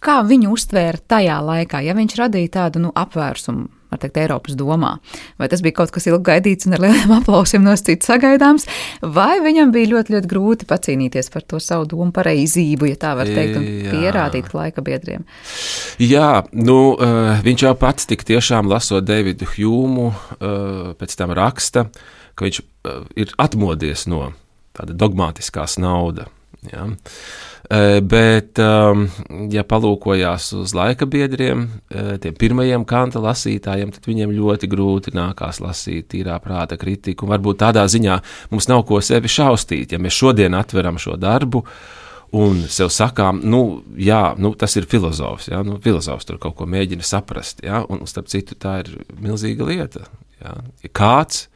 kā viņu uztvēra tajā laikā, ja viņš radīja tādu apvērsumu, var teikt, Eiropas domā. Vai tas bija kaut kas ilgi gaidīts un ar lieliem aplausiem no citu sagaidāms, vai viņam bija ļoti, ļoti grūti pacīnīties par to savu domu pareizību, ja tā var teikt, un pierādīt laika biedriem? Jā, viņš jau pats tik tiešām lasot Davidu Hjumu, pēc tam raksta, ka viņš ir atmodies no tāda dogmatiskās nauda. Ja. Bet, ja palūkojās uz laika biedriem, tiem pirmajiem Kanta lasītājiem, tad viņiem ļoti grūti nākās lasīt tīrā prāta kritiku. Un varbūt tādā ziņā mums nav ko sevi šaustīt, ja mēs šodien atveram šo darbu un sev sakām, tas ir filozofs, ja, filozofs tur kaut ko mēģina saprast, ja, un starp citu tā ir milzīga lieta. Ja. Ja kāds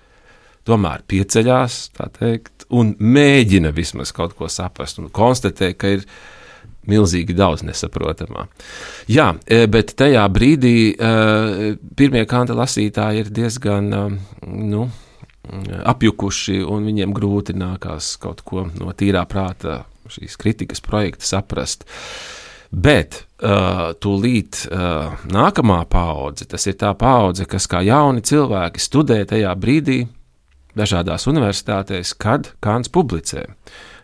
tomēr pieceļās, tā teikt, un mēģina vismaz kaut ko saprast un konstatē, ka ir milzīgi daudz nesaprotamā. Jā, bet tajā brīdī pirmie Kanta lasītāji ir diezgan apjukuši un viņiem grūti nākās kaut ko no tīrā prāta šīs kritikas projekta saprast. Bet tūlīt nākamā paudze, tas ir tā paudze, kas kā jauni cilvēki studē tajā brīdī, dažādās universitātēs, kad Kants publicē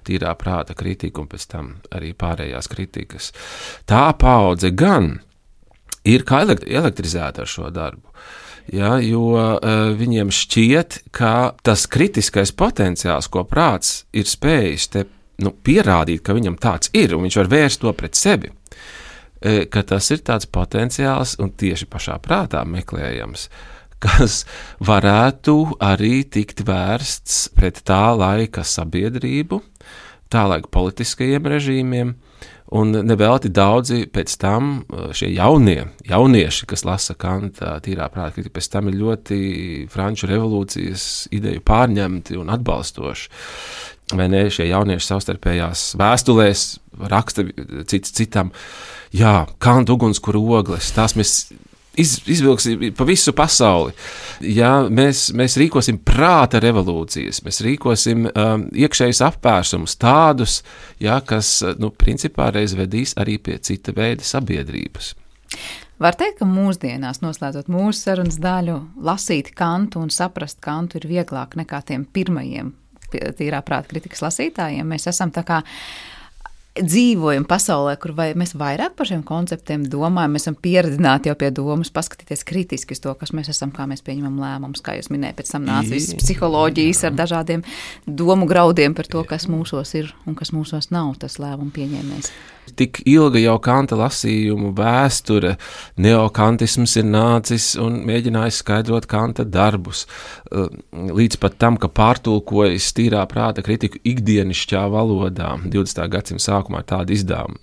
tīrā prāta kritiku un pēc tam arī pārējās kritikas. Tā paudze gan ir kā elektrizēta ar šo darbu, ja, jo viņiem šķiet, ka tas kritiskais potenciāls, ko prāts ir spējis te pierādīt, ka viņam tāds ir un viņš var vērst to pret sevi, ka tas ir tāds potenciāls un tieši pašā prātā meklējams, kas varētu arī tikt vērsts pret tā laika sabiedrību, tā laika politiskajiem režīmiem, un nevelti daudzi pēc tam šie jaunieši, kas lasa Kanta tīrā prāta kritiku, pēc tam ir ļoti Franču revolūcijas ideju pārņemti un atbalstoši. Vai ne, šie jaunieši savstarpējās vēstulēs raksta cits citam, Kanta ugunskura ogles, tās mēs izvilksim pa visu pasauli. Ja, mēs rīkosim prāta revolūcijas, mēs rīkosim iekšējus apvērsumus tādus, kas, principā reiz vedīs arī pie cita veida sabiedrības. Var teikt, ka mūsdienās, noslēdzot mūsu sarunas daļu, lasīt Kantu un saprast Kantu ir vieglāk nekā tiem pirmajiem tīrā prāta kritikas lasītājiem. Mēs esam tā kā dzīvojam pasaulē, kur mēs vairāk par šiem konceptiem domājam, mēs esam pieredzināti jau pie domas, paskatīties kritiski uz to, kas mēs esam, kā mēs pieņemam lēmumus, kā jūs minējat, pēc tam nāca visas psiholoģijas ar dažādiem domu graudiem par to, kas mūsos ir un kas mūsos nav, tas lēmumu pieņēmējs. Tik ilga jau Kanta lasījumu vēsture, neokantisms ir nācis un mēģinājis skaidrot Kanta darbus, līdz pat tam, ka pārtulkojas tīrā prāta kritiku ikdienišķā valodā 20. gadsimta sākumā tāda izdevuma.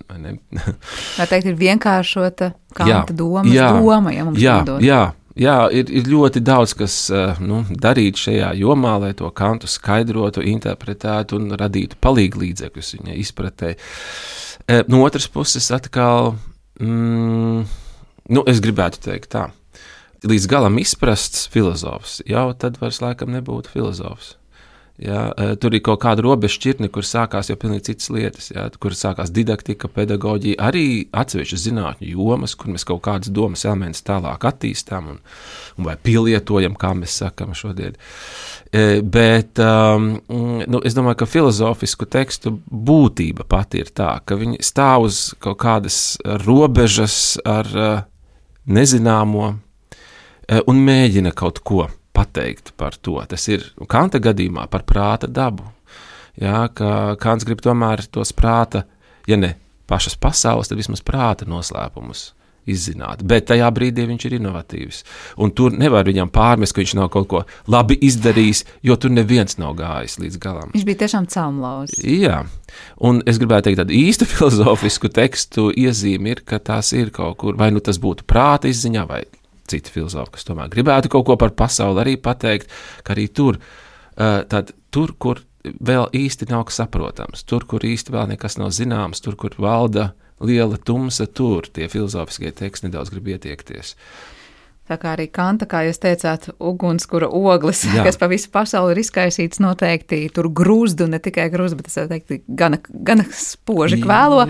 Var teikt, ir vienkāršota Kanta doma, ja mums nodod. Jā, ir ļoti daudz, kas darīt šajā jomā, lai to Kantu skaidrotu, interpretētu un radītu palīglīdzekļus viņa izpratē. No otras puses atkal, es gribētu teikt tā, līdz galam izprasts filozofs, jau tad vairs laikam nebūtu filozofs. Ja, tur ir kaut kāda robežšķirtne, kur sākās jau pilnīgi citas lietas, ja, kur sākās didaktika, pedagoģija, arī atsevišķas zinātņu jomas, kur mēs kaut kādas domas elementus tālāk attīstām un vai pielietojam, kā mēs sakam šodien. Bet es domāju, ka filozofisku tekstu būtība pati ir tā, ka viņi stāv uz kaut kādas robežas ar nezināmo un mēģina kaut ko pateikt par to. Tas ir Kanta gadījumā par prāta dabu. Jā, ka Kants grib tomēr tos prāta, ja ne pašas pasaules, tad vismaz prāta noslēpumus izzināt. Bet tajā brīdī viņš ir inovatīvs. Un tur nevar viņam pārmest, ka viņš nav kaut ko labi izdarījis, jo tur neviens nav gājis līdz galam. Viņš bija tiešām celmlauzis. Jā. Un es gribētu teikt, tādu īstu filozofisku tekstu iezīmi ir, ka tās ir kaut kur, vai tas būtu prāta izziņā, vai citi filozofi, kas tomēr gribētu kaut ko par pasauli arī pateikt, ka arī tur, kur vēl īsti nav kas saprotams, tur, kur īsti vēl nekas nav zināms, tur, kur valda liela tumsa, tur tie filozofiskie teksti nedaudz grib ietiekties. Tā kā arī Kanta, kā jūs teicāt, ugunskura oglis, kas pa visu pasauli ir izkaisīts, noteikti tur grūzdu, ne tikai grūzdu, bet es teiktu, gana spoži kvēlo,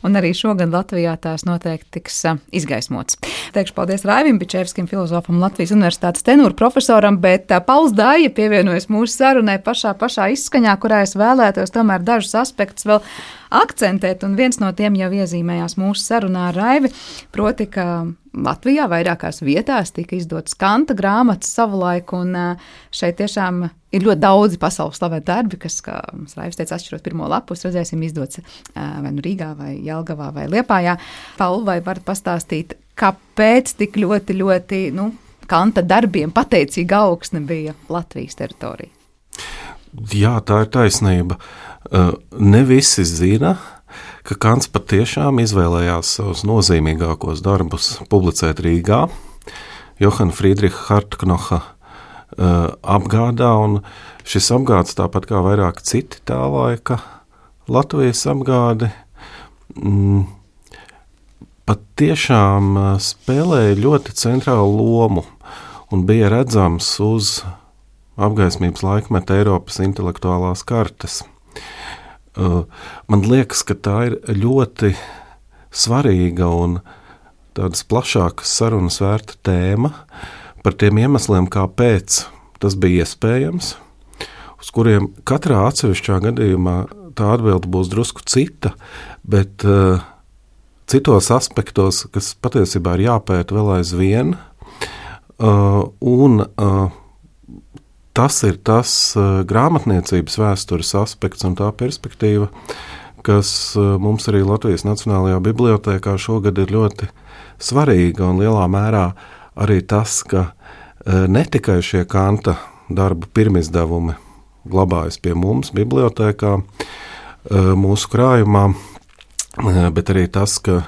un arī šogad Latvijā tās noteikti tiks izgaismots. Teikšu paldies Raivim Bičevskim, filozofam, Latvijas Universitātes tenūra profesoram, bet Pauls Dāja pievienojas mūsu sarunai pašā izskaņā, kurā es vēlētos tomēr dažus aspektus vēl akcentēt, un viens no tiem jau iezīmējās mūsu sarunā ar Raivi, proti, ka Latvijā vairākās vietās tika izdotas Kanta grāmatas savulaik, un šeit tiešām ir ļoti daudzi pasaules slaveni darbi, kas, kā Raivis teica, atšķirot pirmo lapus, redzēsim izdots vai nu Rīgā, vai Jelgavā, vai Liepājā. Paul, vai varat pastāstīt, kāpēc tik ļoti, Kanta darbiem pateicīga augsne bija Latvijas teritorija? Jā, tā ir taisnība. Ne visi zina, ka Kants patiešām izvēlējās savus nozīmīgākos darbus publicēt Rīgā, Johana Friedricha Hartknocha apgādā, un šis apgāds, tāpat kā vairāk citi tā laika Latvijas apgādi, patiešām spēlēja ļoti centrālu lomu un bija redzams uz apgaismības laikmeta Eiropas intelektuālās kartes. Man liekas, ka tā ir ļoti svarīga un tādas plašākas sarunas vērta tēma par tiem iemesliem, kāpēc tas bija iespējams, uz kuriem katrā atsevišķā gadījumā tā atbilde būs drusku cita, bet citos aspektos, kas patiesībā ir jāpēta vēl aizvien, un tas ir tas grāmatniecības vēstures aspekts un tā perspektīva, kas mums arī Latvijas Nacionālajā bibliotēkā šogad ir ļoti svarīga, un lielā mērā arī tas, ka ne tikai šie Kanta darbu pirmizdevumi glabājas pie mums bibliotēkā, mūsu krājumā, bet arī tas, ka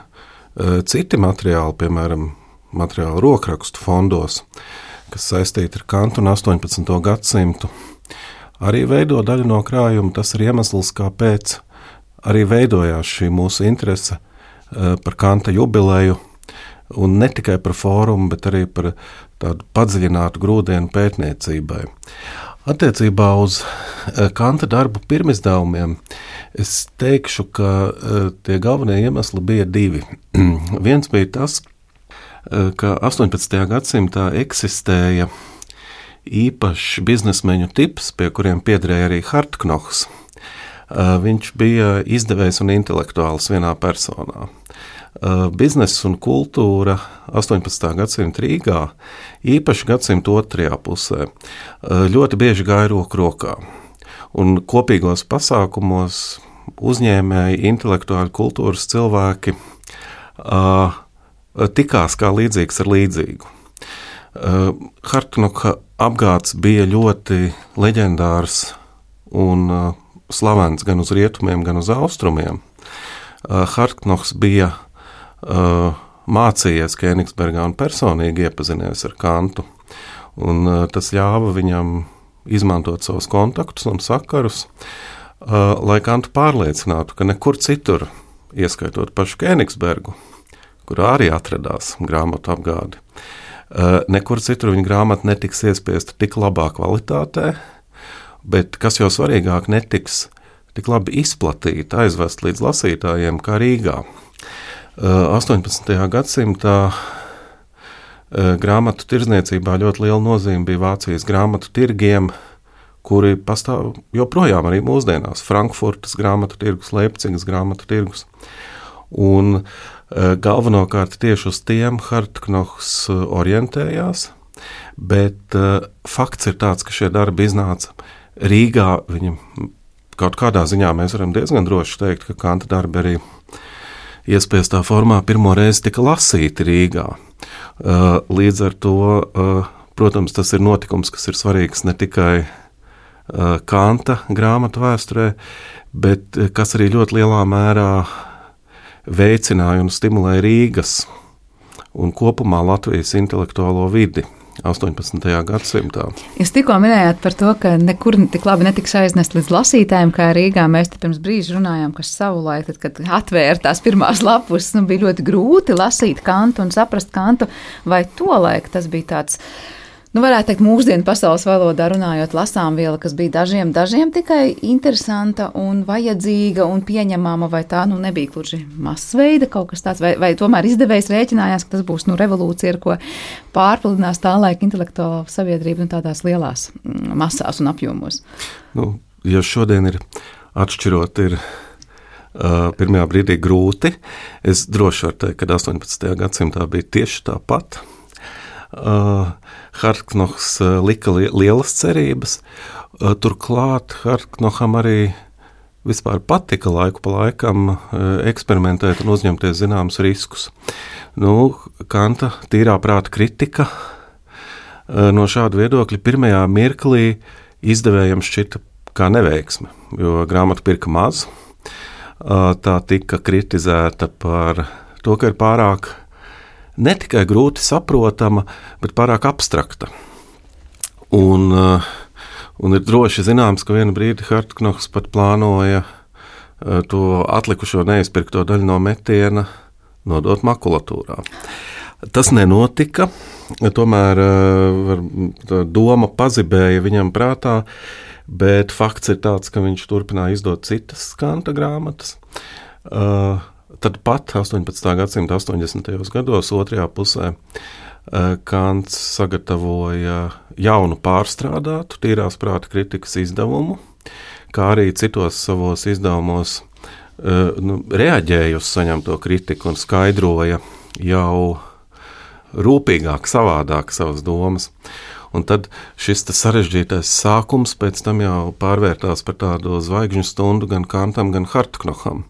citi materiāli, piemēram, materiāli rokrakstu fondos, kas saistīti ar Kantu un 18. gadsimtu, arī veido daļu no krājuma. Tas ir iemesls, kāpēc arī veidojās šī mūsu interese par Kanta jubileju, un ne tikai par fórumu, bet arī par tādu padziļinātu grūdienu pētniecībai. Attiecībā uz Kanta darbu pirmizdevumiem es teikšu, ka tie galvenie iemesli bija divi. Viens bija tas, ka 18. gadsimtā eksistēja īpašs biznesmeņu tips, pie kuriem piederēja arī Hartknochs. Viņš bija izdevējs un intelektuāls vienā personā. Bizness un kultūra 18. gadsimta Rīgā, īpaši gadsimta otrajā pusē, ļoti bieži gāja roku rokā. Un kopīgos pasākumos uzņēmēji, intelektuāļi, kultūras cilvēki tikās kā līdzīgs ar līdzīgu. Hartknocha apgāds bija ļoti leģendārs un slavens gan uz rietumiem, gan uz austrumiem. Hartknochs bija mācījies Kēnigsbergā un personīgi iepazinies ar Kantu, un tas ļāva viņam izmantot savus kontaktus un sakarus, lai Kantu pārliecinātu, ka nekur citur, ieskaitot pašu Kēnigsbergu, kurā arī atradās grāmatu apgādi, nekur citur viņa grāmata netiks iespiesta tik labā kvalitātē, bet, kas jau svarīgāk, netiks tik labi izplatīta, aizvest līdz lasītājiem kā Rīgā. 18. gadsimtā grāmatu tirdzniecībā ļoti liela nozīme bija Vācijas grāmatu tirgiem, kuri pastāv joprojām arī mūsdienās. Frankfurtas grāmatu tirgus, Leipcigas grāmatu tirgus. Un galvenokārt tieši uz tiem Hartknochs orientējās, bet fakts ir tāds, ka šie darbi iznāca Rīgā. Viņam kaut kādā ziņā mēs varam diezgan droši teikt, ka Kanta darbi arī iespiestā formā pirmo reizi tika lasīti Rīgā. Līdz ar to, protams, tas ir notikums, kas ir svarīgs ne tikai Kanta grāmatu vēsturē, bet kas arī ļoti lielā mērā veicināja un stimulēja Rīgas un kopumā Latvijas intelektuālo vidi 18. gadsimtā. Jūs tikko minējāt par to, ka nekur tik labi netiks aiznest līdz lasītājiem, kā Rīgā. Mēs te pirms brīža runājām, ka savulaik, tad, kad atvēra tās pirmās lapus, bija ļoti grūti lasīt Kantu un saprast Kantu, vai tolaik tas bija tāds, varētu teikt, mūsdienu pasaules valodā runājot, lasāmviela, kas bija dažiem tikai interesanta un vajadzīga un pieņemama, vai tā nebija gluži masveida kaut kas tāds, vai tomēr izdevējs rēķinājās, ka tas būs revolūcija, ar ko pārpludinās tā laika intelektuālā sabiedrība tādās lielās masās un apjomos. Ja šodien ir atšķirot, ir pirmajā brīdī grūti, es droši varu teikt, ka 18. gadsimtā bija tieši tāpat. Hartknohs lika lielas cerības, turklāt Hartknoham arī vispār patika laiku pa laikam eksperimentēt un uzņemties zināmus riskus. Kanta tīrā prāta kritika no šāda viedokļa pirmajā mirklī izdevējiem šķita kā neveiksme, jo grāmatu pirka maz, tā tika kritizēta par to, ka ir pārāk ne tikai grūti saprotama, bet pārāk abstrakta. Un ir droši zināms, ka vienu brīdi Hartknohs pat plānoja to atlikušo neizpirkto daļu no metiena nodot makulatūrā. Tas nenotika, tomēr doma pazibēja viņam prātā, bet fakts ir tāds, ka viņš turpināja izdot citas Kanta grāmatas. Tad pat 18. gadsimta 80. gados, otrajā pusē, Kants sagatavoja jaunu pārstrādātu tīrās prāta kritikas izdevumu, kā arī citos savos izdevumos reaģēja uz saņemto kritiku un skaidroja jau rūpīgāk, savādāk savas domas. Un tad šis sarežģītais sākums pēc tam jau pārvērtās par tādu zvaigžņu stundu gan Kantam, gan Hartknoham.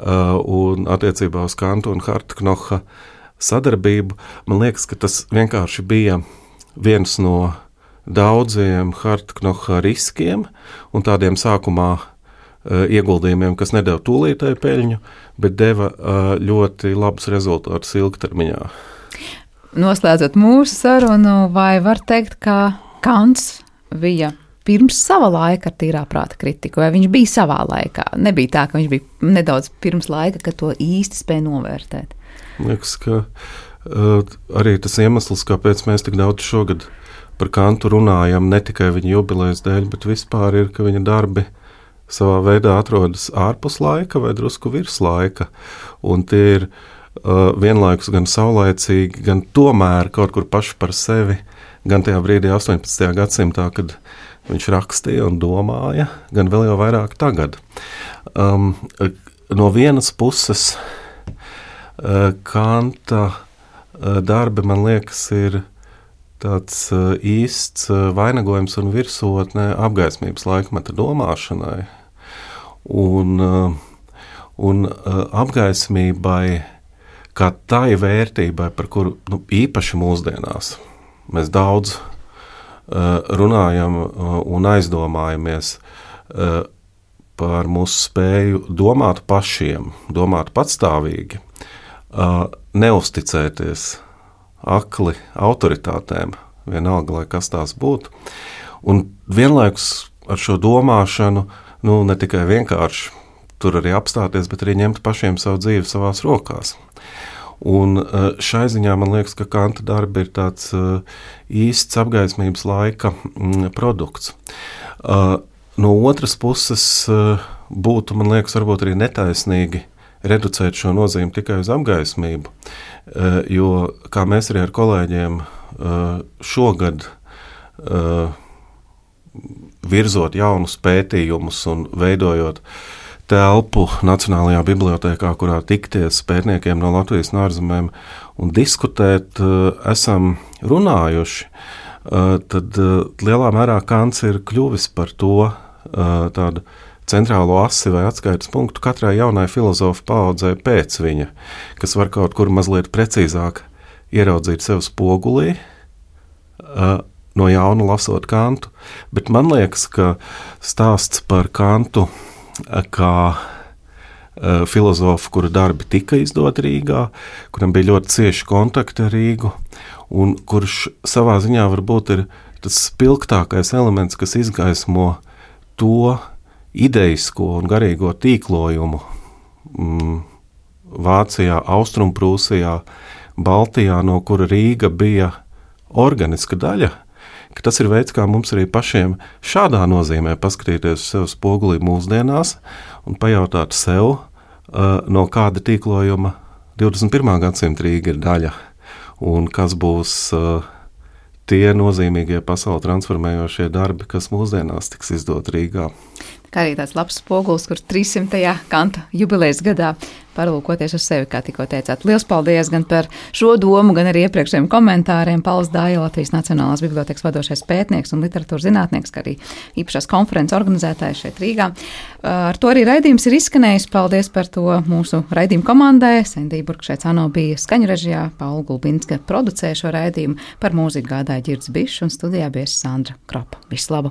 Un attiecībā uz Kantu un Hartknoha sadarbību, man liekas, ka tas vienkārši bija viens no daudziem Hartknoha riskiem un tādiem sākumā ieguldījumiem, kas nedeva tūlītēju peļņu, bet deva ļoti labus rezultātus ilgtermiņā. Noslēdzot mūsu sarunu, vai var teikt, ka Kants bija pirms sava laika ar tīrā prāta kritiku, vai viņš bija savā laikā? Nebija tā, ka viņš bija nedaudz pirms laika, ka to īsti spēja novērtēt. Liekas, ka arī tas iemesls, kāpēc mēs tik daudz šogad par Kantu runājam, ne tikai viņa jubilejas dēļ, bet vispār ir, ka viņa darbi savā veidā atrodas ārpus laika vai drusku virs laika, un tie ir vienlaikus gan saulaicīgi, gan tomēr kaut kur paši par sevi, gan tajā brīdī 18. gadsimtā, kad viņš rakstīja un domāja, gan vēl jau vairāk tagad. No vienas puses Kanta darbi, man liekas, ir tāds īsts vainagojums un virsotne apgaismības laikmeta domāšanai. Un apgaismībai kā tai vērtībai, par kuru īpaši mūsdienās mēs daudz runājam un aizdomājamies par mūsu spēju domāt pašiem, domāt patstāvīgi, neusticēties akli autoritātēm, vienalga, lai kas tās būtu. Un vienlaikus ar šo domāšanu, ne tikai vienkārši tur arī apstāties, bet arī ņemt pašiem savu dzīvi savās rokās. Un šai ziņā man liekas, ka Kanta darbi ir tāds īsts apgaismības laika produkts. No otras puses būtu, man liekas, varbūt arī netaisnīgi reducēt šo nozīmi tikai uz apgaismību, jo, kā mēs arī ar kolēģiem šogad virzot jaunus pētījumus un veidojot telpu Nacionālajā bibliotēkā, kurā tikties pētniekiem no Latvijas un ārzemēm un diskutēt, esam runājuši, tad lielā mērā Kants ir kļuvis par to tādu centrālo asi vai atskaites punktu katrai jaunai filozofu paaudzē pēc viņa, kas var kaut kur mazliet precīzāk ieraudzīt sev spogulī, no jauna lasot Kantu, bet man liekas, ka stāsts par Kantu kā filozofu, kura darbi tika izdoti Rīgā, kuram bija ļoti cieši kontakti ar Rīgu, un kurš savā ziņā varbūt ir tas spilgtākais elements, kas izgaismo to ideisko un garīgo tīklojumu Vācijā, Austrumprūsijā, Baltijā, no kura Rīga bija organiska daļa, ka tas ir veids, kā mums arī pašiem šādā nozīmē paskatīties uz sev spogulī mūsdienās un pajautāt sev, no kāda tīklojuma 21. gadsimta Rīga ir daļa un kas būs tie nozīmīgie pasauli transformējošie darbi, kas mūsdienās tiks izdot Rīgā. Kā arī tāds labs spogulis, kur 300. Kanta jubilejas gadā parlūkoties uz sevi, kā tikko teicāt. Liels paldies gan par šo domu, gan arī iepriekšējiem komentāriem. Pauls Dāja, Latvijas Nacionālās bibliotēkas vadošais pētnieks un literatūras zinātnieks, kā arī īpašās konferences organizētājs šeit Rīgā. Ar to arī raidījums ir izskanējis. Paldies par to mūsu raidījumu komandai. Sendija Burkšēcāno bija skaņu režijā, Paula Gulbinska producēja šo raidījumu, par mūziku gādāja Ģirds Bišs un studijā bija Sandra Kropa. Visu labu!